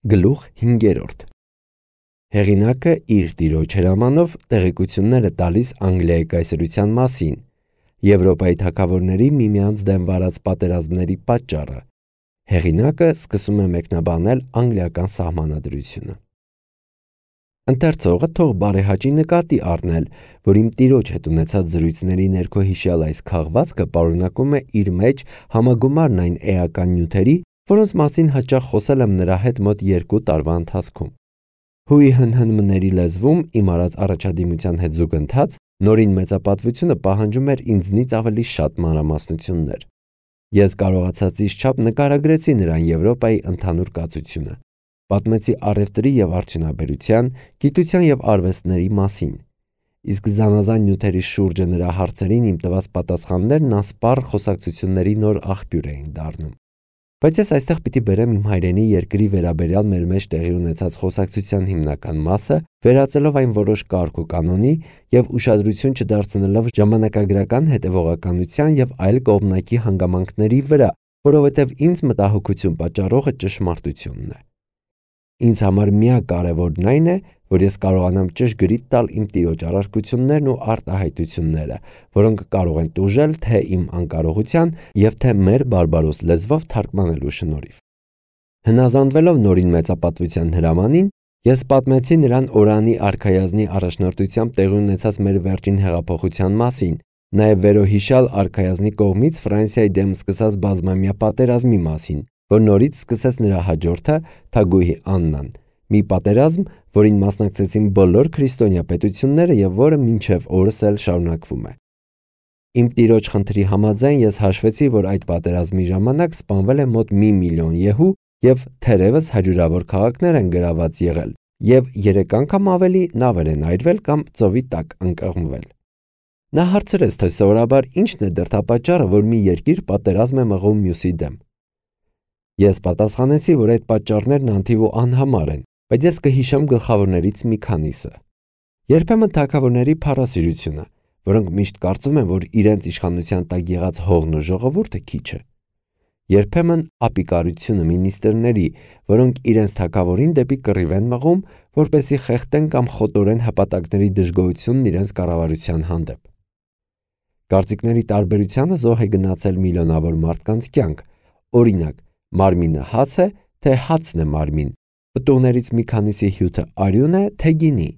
Գլուխ 5. Հեղինակը իր տիրոջ հրամանով տեղեկություններ է տալիս Անգլիայի կայսրության մասին, Եվրոպայի թագավորների միմյանց դեմ վարած պատերազմների պատճառը։ Հեղինակը սկսում է մեկնաբանել անգլիական սահմանադրությունը։ Ընթերցողը թող բարեհաճի նկատի առնել, որ իմ տիրոջ հետ ունեցած զրույցների ներքո հիշյալ այս քաղվածքը պարունակում է իր մեջ համագումարն այն էական նյութերի, որոնց մասին հաճախ խոսել եմ նրա հետ մոտ 2 տարվա ընթացքում։ Հույի հնհնմների լեզվում իմ արած առաջադիմության հետ զուգընթաց նորին մեծապատվությունը պահանջում էր ինձնից ավելի շատ մանրամասնություններ։ Ես կարողացածից չափ նկարագրեցի նրան Եվրոպայի ընդհանուր կացությունը, պատմեցի առևտրի եւ արդյունաբերության, գիտության եւ արվեստների մասին, իսկ զանազան նյութերի շուրջը նրա հարցերին իմ տված պատասխաններն ասպառ խոսակցությունների նոր աղբյուր էին դառնում։ Բայց ես այստեղ պիտի բերեմ իմ հայրենի երկրի վերաբերյալ մեր մեջ տեղի ունեցած խոսակցության հիմնական մասը, վերածելով այն որոշ կարգ ու կանոնի եւ ուշադրություն չդարձնելով ժամանակագրական հետևողականության եւ այլ կողմնակի հանգամանքների վրա, որովհետեւ ինձ մտահոգություն պատճառողը ճշմարտությունն է։ Ինձ համար միակ կարևորն այն է, որ ես կարողանամ ճշգրիտ տալ իմ տիրոջ առարկություններն ու արտահայտությունները, որոնք կարող են տուժել թե իմ անկարողության եւ թե մեր բարբարոս լեզվով թարգմանելու շնորհիվ։ Հնազանդվելով նորին մեծապատվության հրամանին, ես պատմեցի նրան Օրանի արքայազնի առաջնորդությամբ տեղի ունեցած մեր վերջին հեղափոխության մասին, նաեւ վերոհիշյալ արքայազնի կողմից Ֆրանսիայի դեմ սկսած բազմամյա պատերազմի մասին, որ նորից սկսեց նրա հաջորդը Թագուհի Աննան, մի պատերազմ, որին մասնակցեցին բոլոր քրիստոնյա պետությունները եւ որը մինչեւ օրս էլ շարունակվում է։ Իմ տիրոջ խնդրի համաձայն ես հաշվեցի, որ այդ պատերազմի ժամանակ սպանվել է մոտ 1 միլիոն եհու եւ թերևս հարյուրավոր քաղաքներ են գրաված եղել եւ 3 անգամ ավելի նավեր են այրվել կամ ծովի տակ ընկղմվել։ Նա հարցրեց, թե սովորաբար ինչն է դրդապատճառը, որ մի երկիր պատերազմ է մղում մյուսի դեմ։ Ես պատասխանեցի, որ այդ պատճառներն անթիվ ու անհամար են, բայց ես կհիշեմ գլխավորներից մի քանիսը։ Երբեմն թագավորների փառասիրությունը, որոնք միշտ կարծում են, որ իրենց իշխանության տակ եղած հողն ու ժողովուրդը քիչ է։ Երբեմն ապիկարությունը մինիստրների, որոնք իրենց թագավորին դեպի կռիվ են մղում, որպեսզի խեղդեն կամ խոտորեն հպատակների դժգոհությունն իրենց կառավարության հանդեպ։ Կարծիքների տարբերությանը զոհ է գնացել միլիոնավոր մարդկանց կյանք, օրինակ, մարմինը հաց է, թե հացն է մարմին, պտուղներից մի քանիսի հյութը արյուն է, թե գինի,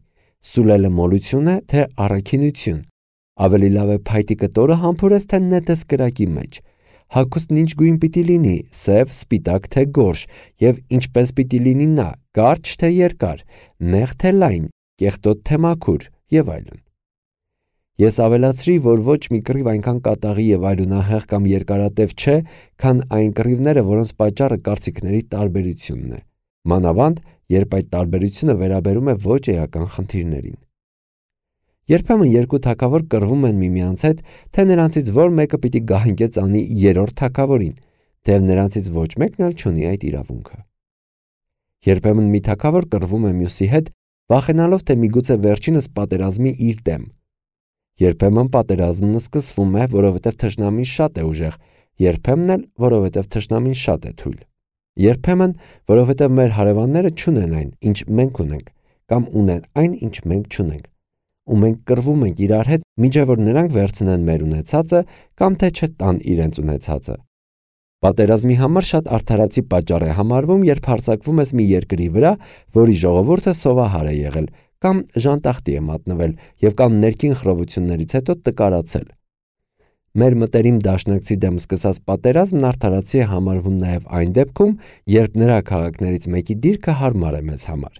սուլելը մոլություն է, թե առաքինություն, ավելի լավ է փայտի կտորը համբուրես, թե նետես կրակի մեջ, հագուստն ինչ գույն պիտի լինի, սև, սպիտակ, թե գորշ, եւ ինչպես պիտի լինի նա, կարճ, թե երկար, նեղ, թե լայն, կեղտոտ, թե մաքուր եւ այլն։ Ես ավելացրի, որ ոչ մի կռիվ այնքան կատաղի եւ արյունահեղ կամ երկարատև չէ, քան այն կռիվները, որոնց պատճառը կարծիքների տարբերությունն է, մանավանդ, երբ այդ տարբերությունը վերաբերում է ոչ էական խնդիրներին։ Երբեմն երկու թագավոր կռվում են միմյանց հետ, թե նրանցից որ մեկը պիտի գահընկեց անի 3-րդ թագավորին, թեև նրանցից ոչ մեկն էլ չունի այդ իրավունքը։ Երբեմն մի թագավոր կռվում է մյուսի հետ, վախենալով, թե միգուցե վերջինս պատերազմի իր դեմ։ Երբեմն պատերազմն սկսվում է, որովհետև թշնամին շատ է ուժեղ, երբեմն էլ, որովհետև թշնամին շատ է թույլ։ Երբեմն, որովհետև մեր հարևանները չունեն այն, ինչ մենք ունենք, կամ ունեն այն, ինչ մենք չունենք, ու մենք կռվում ենք իրար հետ, մինչև որ նրանք վերցնեն մեր ունեցածը կամ թե չտան իրենց ունեցածը։ Պատերազմի համար շատ արդարացի պատճառ է համարվում, երբ հարձակվում ես մի երկրի վրա, որի ժողովուրդը սովահար է եղել, կամ ժանտախտի է մատնվել եւ կամ ներքին խռովություններից հետո տկարացել։ Մեր մտերիմ դաշնակցի դեմ սկսած պատերազմն արդարացի է համարվում նաև այն դեպքում, երբ նրա քաղաքներից մեկի դիրքը հարմար է մեզ համար,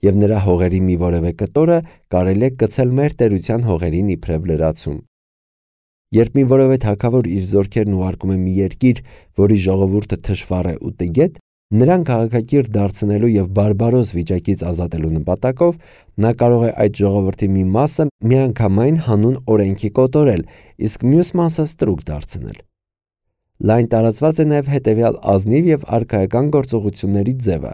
եւ նրա հողերի մի որևէ կտորը կարելի է գցել մեր տերության հողերին իբրև լրացում։ Երբ մի որևէ թագավոր իր զորքերն ուղարկում է մի երկիր, որի ժողովուրդը թշվառ է ու տգետ, նրան քաղաքակիրթ դարձնելու եւ բարբարոս վիճակից ազատելու նպատակով նա կարող է այդ ժողովրդի մի մասը միանգամայն հանուն օրենքի կոտորել, իսկ մյուս մասը ստրուկ դարձնել։ Լայն տարածված է նաեւ հետեւյալ ազնիվ եւ արքայական գործողությունների ձևը։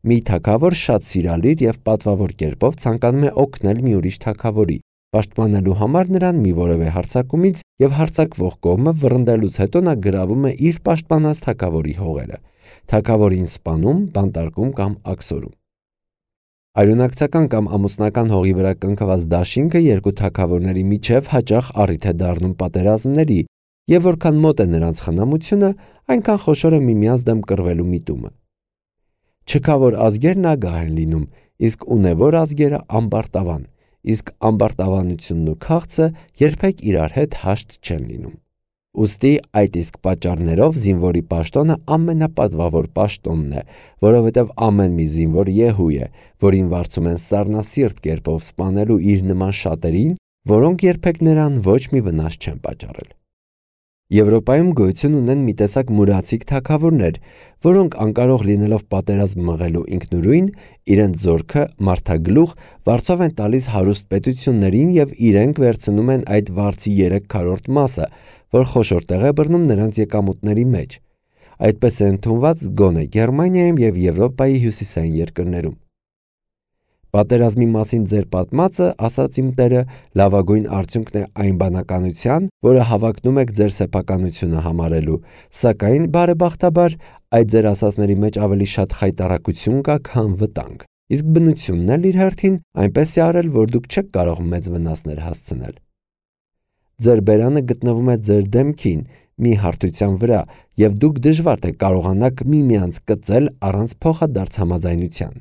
Մի թագավոր շատ սիրալիր եւ պատվավոր կերպով ցանկանում է օգնել մի ուրիշ թագավորի, Պաշտպանելու համար նրան մի որևէ հարձակումից եւ հարձակվող կողմը վռնդելուց հետո նա գրավում է իր պաշտպանած թագավորի հողերը, թագավորին սպանում, բանտարկում կամ աքսորում։ Արյունակցական կամ ամուսնական հողի վրա կնքված դաշինքը երկու թագավորների միջև հաճախ առիթ է դառնում պատերազմների, եւ որքան մոտ է նրանց խնամությունը, այնքան խոշոր է միմյանց դեմ կռվելու միտումը։ Չքավոր ազգերն ագահ են լինում, իսկ ունևոր ազգերը ամբարտավան, իսկ ամբարտավանությունն ու քաղցը երբեք իրար հետ հաշտ չեն լինում։ Ուստի այդ իսկ պատճառներով զինվորի պաշտոնը ամենապատվավոր պաշտոնն է, որովհետև ամեն մի զինվոր Եհու է, որին վարձում են սառնասիրտ կերպով սպանելու իր նման շատերին, որոնք երբեք նրան ոչ մի վնաս չեն պատճառել։ Եվրոպայում գոյություն ունեն մի տեսակ մուրացիկ թագավորներ, որոնք անկարող լինելով պատերազմ մղելու ինքնուրույն, իրենց զորքը մարդագլուխ վարձով են տալիս հարուստ պետություններին եւ իրենք վերցնում են այդ վարձի 3/4 մասը, որ խոշոր տեղ է բռնում նրանց եկամուտների մեջ։ Այդպես է ընդունված գոնե Գերմանիայում եւ Եվրոպայի հյուսիսային երկրներում։ Պատերազմի մասին ձեր պատմածը, ասաց իմ տերը, լավագույն արդյունքն է այն բանականության, որը հավակնում եք ձեր սեփականությունը համարելու, սակայն բարեբախտաբար այդ ձեր ասածների մեջ ավելի շատ խայտառակություն կա, քան վտանգ, իսկ բնությունն էլ իր հերթին այնպես է արել, որ դուք չեք կարող մեծ վնասներ հասցնել։ Ձեր բերանը գտնվում է ձեր դեմքին, մի հարթության վրա, եւ դուք դժվար թե կարողանաք միմյանց կծել առանց փոխադարձ համաձայնության։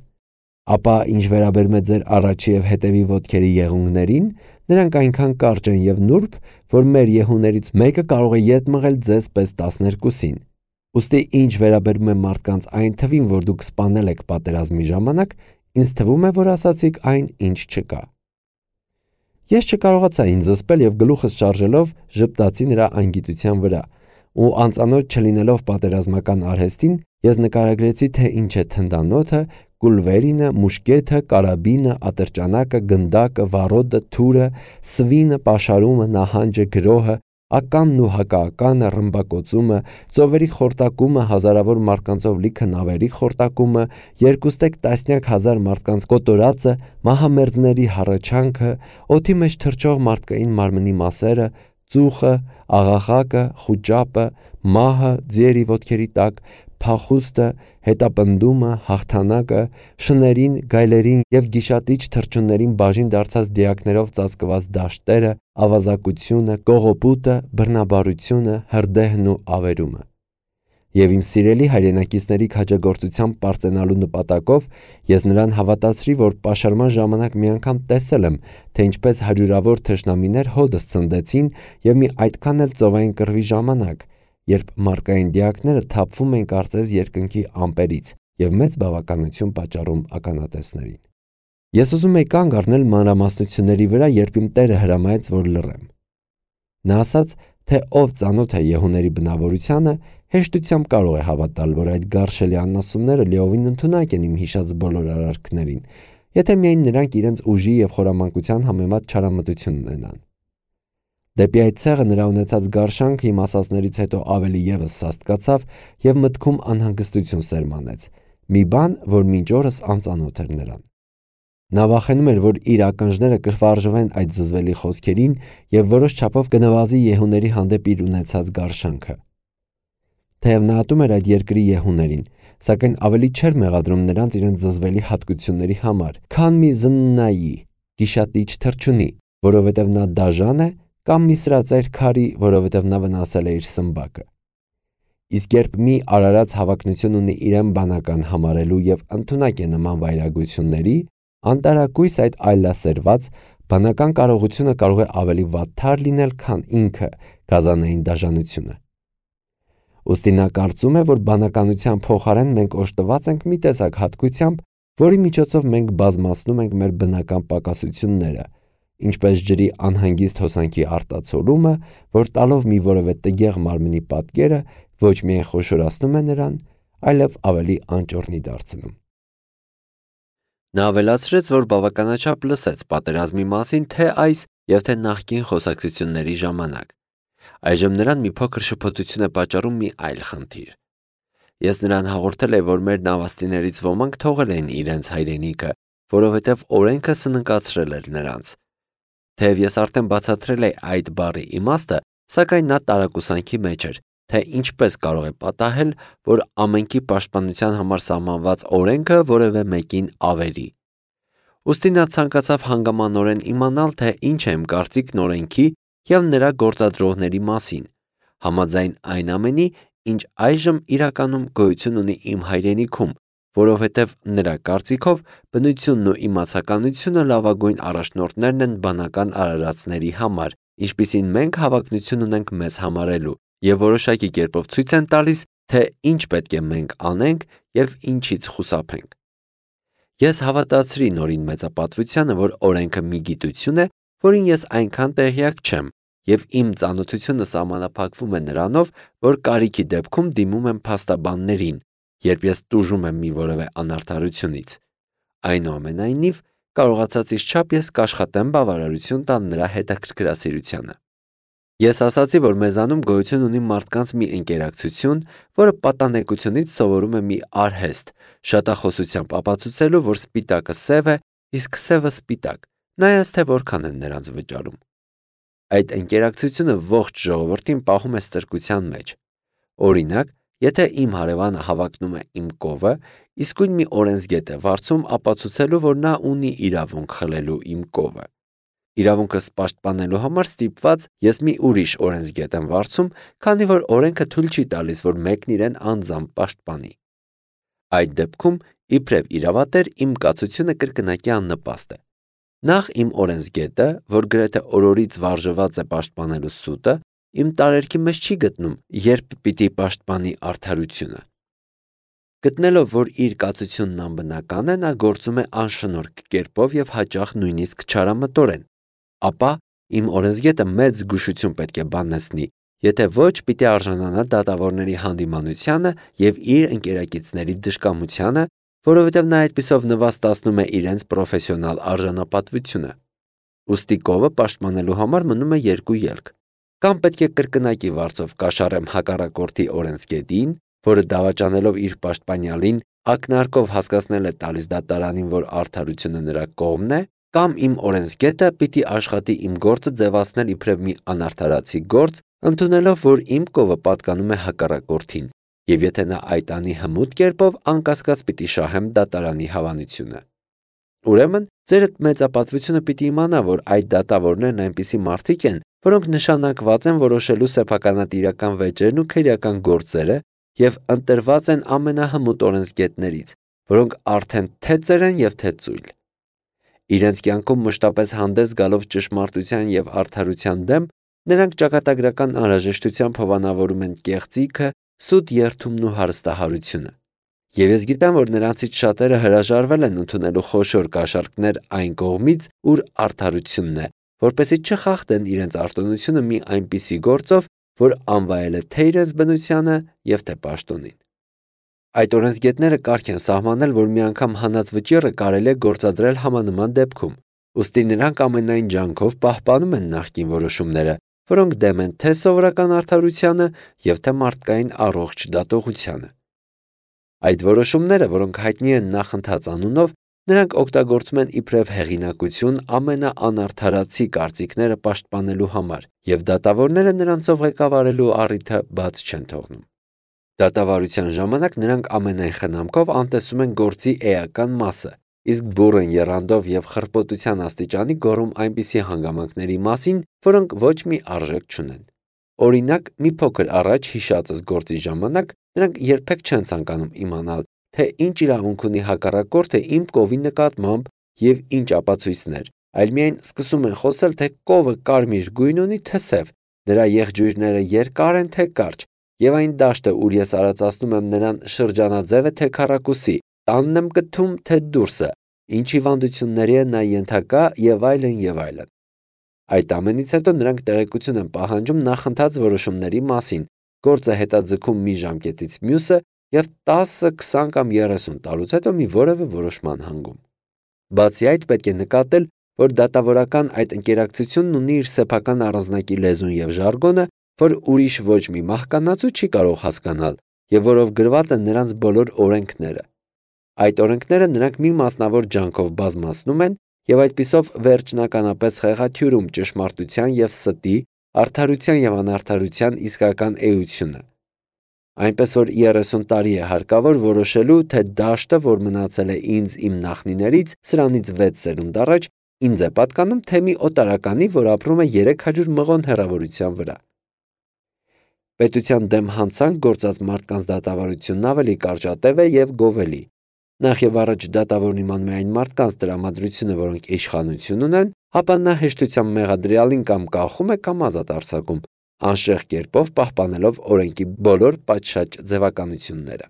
Ապա ինչ վերաբերում է ձեր առաջի եւ հետևի ոտքերի եղունգներին, նրանք այնքան կարճ են եւ նուրբ, որ մեր եղուններից մեկը կարող է ետ մղել ձեզ պես 12-ին։ Ուստի ինչ վերաբերում է մարդկանց այն թվին, որ դուք սպանել եք պատերազմի ժամանակ, ինձ թվում է, որ ասացիք այն, ինչ չկա։ Ես չկարողացա ինձ զսպել եւ գլուխս շարժելով ժպտացի նրա անգիտության վրա, ու անծանոթ չլինելով պատերազմական արհեստին, ես նկարագրեցի, թե ինչ է թնդանոթը, կուլվերինը, մուշկեթը, կարաբինը, ատրճանակը, գնդակը, վառոդը, թուրը, սվինը, պաշարումը, նահանջը, գրոհը, ականն ու հակաականը, ռմբակոծումը, ծովերի խորտակումը, հազարավոր մարդկանցով լիքը նավերի խորտակումը, երկուստեք տասնյակ հազար մարդկանց կոտորածը, մահամերձների հառաչանքը, օդի մեջ թռչող մարդկային մարմնի մասերը, ծուխը, աղաղակը, խուճապը, մահը, ձիերի ոտքերի տակ, փախուստը, հետապնդումը, հաղթանակը, շներին, գայլերին եւ գիշատիչ թռչուններին բաժին դարձած դիակներով ծածկված դաշտերը, ավազակությունը, կողոպուտը, բռնաբարությունը, հրդեհն ու ավերումը։ Եվ իմ սիրելի հայրենակիցների քաջագործությամբ պարծենալու նպատակով ես նրան հավատացրի, որ պաշարման ժամանակ մի անգամ տեսել եմ, թե ինչպես հարյուրավոր թշնամիներ հոդս ցնդեցին եւ մի այդքան էլ ծովային կռվի ժամանակ, երբ մարդկային դիակները թափվում են կարծես երկնքի ամպերից եւ մեծ բավականություն պատճառում ականատեսներին։ Ես ուզում եի կանգ առնել մանրամասնությունների վրա, երբ իմ տերը հրամայեց, որ լռեմ։ Նա ասաց, թե ով ծանոթ է Եհուների բնավորությանը, հեշտությամբ կարող է հավատալ, որ այդ գարշելի անասունները լիովին ընդունակ են իմ հիշած բոլոր արարքներին, եթե միայն նրանք իրենց ուժի եւ խորամանկության համեմատ չարամտություն ունենան։ Դեպի այդ ցեղը նրա ունեցած գարշանքը իմ ասածներից հետո ավելի եւս սաստկացավ եւ մտքում անհանգստություն սերմանեց, մի բան, որ մինչ օրս անծանոթ էր նրան։ Նա վախենում էր, որ իր ականջները կվարժվեն այդ զզվելի խոսքերին եւ որոշ չափով կնվազի Եհուների հանդեպ իր ունեցած գարշանքը։ Թեև նա ատում էր այդ երկրի Եհուներին, սակայն ավելի չէր մեղադրում նրանց իրենց զզվելի հատկությունների համար, քան մի զննայի, գիշատիչ թռչունի, որովհետև նա դաժան է, կամ մի սրածայր քարի, որովհետև նա վնասել է իր սմբակը։ Իսկ երբ մի արարած հավակնություն ունի իրեն բանական համարելու եւ ընդունակ է նման վայրագությունների, անտարակույս այդ այլասերված բանական կարողությունը կարող է ավելի վատթար լինել, քան ինքը գազանային դաժանությունը։ Ուստի նա կարծում է, որ բանականության փոխարեն մենք օժտված ենք մի տեսակ հատկությամբ, որի միջոցով մենք բազմացնում ենք մեր բնական պակասությունները, ինչպես ջրի անհանգիստ հոսանքի արտացոլումը, որ տալով մի որևէ տգեղ մարմնի պատկերը ոչ միայն խոշորացնում է նրան, այլև ավելի անճոռնի դարձնում։ Նա ավելացրեց, որ բավականաչափ լսեց պատերազմի մասին թե այս եւ թե նախկին խոսակցությունների ժամանակ։ Այժմ նրան մի փոքր շփոթություն է պատճառում մի այլ խնդիր։ Ես նրան հաղորդել եմ, որ մեր նավաստիներից ոմանք թողել են իրենց հայրենիքը, որովհետև օրենքը սննկացրել էր նրանց։ Թեև ես արդեն բացատրել էի այդ բառի իմաստը, սակայն նա տարակուսանքի մեջ էր, թե ինչպես կարող է պատահել, որ ամենքի պաշտպանության համար սահմանված օրենքը որևէ մեկին ավերի։ Ուստի նա ցանկացավ հանգամանորեն իմանալ, թե ինչ է իմ կարծիքն օրենքի և նրա գործադրողների մասին, համաձայն այն ամենի, ինչ այժմ իրականում գոյություն ունի իմ հայրենիքում, որովհետև նրա կարծիքով բնությունն ու իմացականությունը լավագույն առաջնորդներն են բանական արարածների համար, ինչպիսին մենք հավակնություն ունենք մեզ համարելու, և որոշակի կերպով ցույց են տալիս, թե ինչ պետք է մենք անենք և ինչից խուսափենք։ Ես հավատացրի նորին մեծապատվությանը, որ օրենքը մի գիտություն է, որին ես այնքան տեղյակ չեմ, և իմ ծանոթությունը սահմանափակվում է նրանով, որ կարիքի դեպքում դիմում եմ փաստաբաններին, երբ ես տուժում եմ մի որևէ անարդարությունից։ Այնուամենայնիվ, կարողացածից չափ ես կաշխատեմ բավարարություն տալ նրա հետաքրքրասիրությանը։ Ես ասացի, որ մեզանում գոյություն ունի մարդկանց մի ընկերակցություն, որը պատանեկությունից սովորում է մի արհեստ, շատախոսությամբ ապացուցելու, որ սպիտակը սև է, իսկ սևը սպիտակ, նայած թե որքան են նրանց վճարում։ Այդ ընկերակցությունը ողջ ժողովրդին պահում է ստրկության մեջ։ Օրինակ, եթե իմ հարևանը հավակնում է իմ կովը, իսկույն մի օրենսգետ է վարձում ապացուցելու, որ նա ունի իրավունք խլելու իմ կովը։ Իրավունքս պաշտպանելու համար ստիպված ես մի ուրիշ օրենսգետ եմ վարձում, քանի որ օրենքը թույլ չի տալիս, որ մեկն իրեն անձամբ պաշտպանի։ Այդ դեպքում, իբրև իրավատեր, իմ կացությունը կրկնակի աննպաստ է։ Նախ իմ օրենսգետը, որ գրեթե օրորից վարժված է պաշտպանելու սուտը, իմ տարերքի մեջ չի գտնում, երբ պիտի պաշտպանի արդարությունը։ Գտնելով, որ իր կացությունն անբնական է, նա գործում է անշնորհք կերպով և հաճախ նույնիսկ չարամտորեն, ապա իմ օրենսգետը մեծ զգուշություն պետք է բանեցնի, եթե ոչ պիտի արժանանա դատավորների հանդիմանությանը և իր ընկերակիցների դժկամությանը, որովհետև նա այդպիսով նվաստացնում է իրենց պրոֆեսիոնալ արժանապատվությունը։ Ուստի կովը պաշտպանելու համար մնում է երկու ելք. կամ պետք է կրկնակի վարձով կաշառեմ հակառակորդի օրենսգետին, որը դավաճանելով իր պաշտպանյալին ակնարկով հասկացնել է տալիս դատարանին, որ արդարությունը նրա կողմն է, կամ իմ օրենսգետը պիտի աշխատի իմ գործը ձևացնել իբրև մի անարդարացի գործ, ընդունելով, որ իմ կովը պատկանում է հակառակորդին, և եթե նա այդ անի հմուտ կերպով, անկասկած պիտի շահեմ դատարանի հավանությունը։ Ուրեմն, ձերդ մեծապատվությունը պիտի իմանա, որ այդ դատավորներն այնպիսի մարդիկ են, որոնք նշանակված են որոշելու սեփականատիրական վեճերն ու քրեական գործերը և ընտրված են ամենահմուտ օրենսգետներից, որոնք արդեն թե ծեր են և թե ծույլ։ Իրենց կյանքում մշտապես հանդես գալով ճշմարտության և արդարության դեմ, նրանք ճակատագրական անհրաժեշտությամբ հովանավորում են կեղծիքը, սուտ երդումն ու հարստահարությունը։ Եվ ես գիտեմ, որ նրանցից շատերը հրաժարվել են ընդունելու խոշոր կաշառքներ այն կողմից, ուր արդարությունն է, որպեսզի չխախտեն իրենց արտոնությունը մի այնպիսի գործով, որ անվայել է թե իրենց բնությանը և թե պաշտոնին։ Այդ օրենսգետները կարգ են սահմանել, որ մի անգամ հանած վճիռը կարելի է գործադրել համանման դեպքում, ուստի նրանք ամենայն ջանքով պահպանում են նախկին որոշումները, որոնք դեմ են թե սովորական արդարությանը և թե մարդկային առողջ դատողությանը։ Այդ որոշումները, որոնք հայտնի են նախընթաց անունով, նրանք օգտագործում են իբրև հեղինակություն ամենաանարդարացի կարծիքները պաշտպանելու համար, և դատավորները նրանցով ղեկավարելու առիթը բաց չեն թողնում։ Դատավարության ժամանակ նրանք ամենայն խնամքով անտեսում են գործի էական մասը, իսկ բուռն եռանդով և խրպոտության աստիճանի գոռում այնպիսի հանգամանքների մասին, որոնք ոչ մի արժեք չունեն։ Օրինակ, մի փոքր առաջ հիշածս գործի ժամանակ նրանք երբեք չեն ցանկանում իմանալ, թե ինչ իրավունք ունի հակառակորդը իմ կովի նկատմամբ և ինչ ապացույցներ, այլ միայն սկսում են խոսել, թե կովը կարմիր գույն ունի, թե սև, նրա եղջյուրները երկար են, թե կարճ, և այն դաշտը, ուր ես արածացնում եմ նրան շրջանաձև է, թե քառակուսի, տանն եմ գթում, թե դուրսը, ինչ հիվանդությունների է նա ենթակա և այլն և այլն։ Այդ ամենից հետո նրանք տեղեկություն են պահանջում նախընթաց որոշումների մասին, գործը հետաձգում մի ժամկետից մյուսը և 10, 20 կամ 30 տարուց հետո մի որևէ որոշման հանգում։ Բացի այդ, պետք է նկատել, որ դատավորական այդ ընկերակցությունն ունի իր սեփական առանձնակի լեզուն և ժարգոնը, որ ուրիշ ոչ մի մահկանացու չի կարող հասկանալ և որով գրված են նրանց բոլոր օրենքները։ Այդ օրենքները նրանք մի մասնավոր ջանքով բազմացնում են եւ այդպիսով վերջնականապես խեղաթյուրում ճշմարտության եւ ստի, արդարության եւ անարդարության իսկական էությունը։ Այնպես որ 30 տարի է հարկավոր որոշելու, թե դաշտը, որ մնացել է ինձ իմ նախնիներից, սրանից 6 սերունդ առաջ, ինձ է պատկանում, թե մի օտարականի, որ ապրում է 300 մղոն հեռավորության վրա։ Պետության դեմ հանցանք գործած մարդկանց դատավարությունն ավելի կարճատև է եւ գովելի։ Նախ եւ առաջ դատավորն իմանում է այն մարդկանց տրամադրությունը, որոնք իշխանություն ունեն, ապա նա հեշտությամբ մեղադրյալին կամ կախում է կամ ազատ արձակում, անշեղ կերպով պահպանելով օրենքի բոլոր պատշաճ ձևականությունները։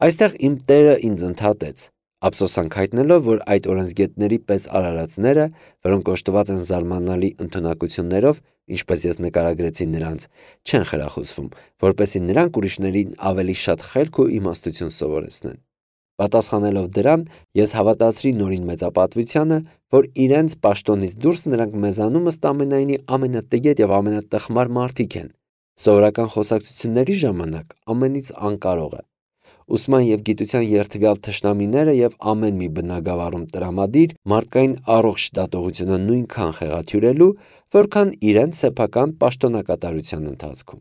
Այստեղ իմ տերը ինձ ընդհատեց, ափսոսանք հայտնելով, որ այդ օրենսգետների պես արարածները, որոնք օժտված են զարմանալի ընդունակություններով, ինչպես ես նկարագրեցի նրանց, չեն խրախուսվում, որպեսզի նրանք ուրիշներին ավելի շատ խելք ու իմաստություն սովորեցնեն։ Պատասխանելով դրան, ես հավատացրի նորին մեծապատվությանը, որ իրենց պաշտոնից դուրս նրանք մեզանում ըստ ամենայնի ամենատգետ եւ ամենատխմար մարդիկ են։ Սովորական խոսակցությունների ժամանակ ամենից անկարողը։ Ուսման եւ գիտության երթվյալ թշնամիները եւ ամեն մի բնագավառում տրամադիր մարդկային առողջ դատողությունը նույնքան խեղաթյուրելու, որքան իրենց սեփական պաշտոնակատարության ընթացքում։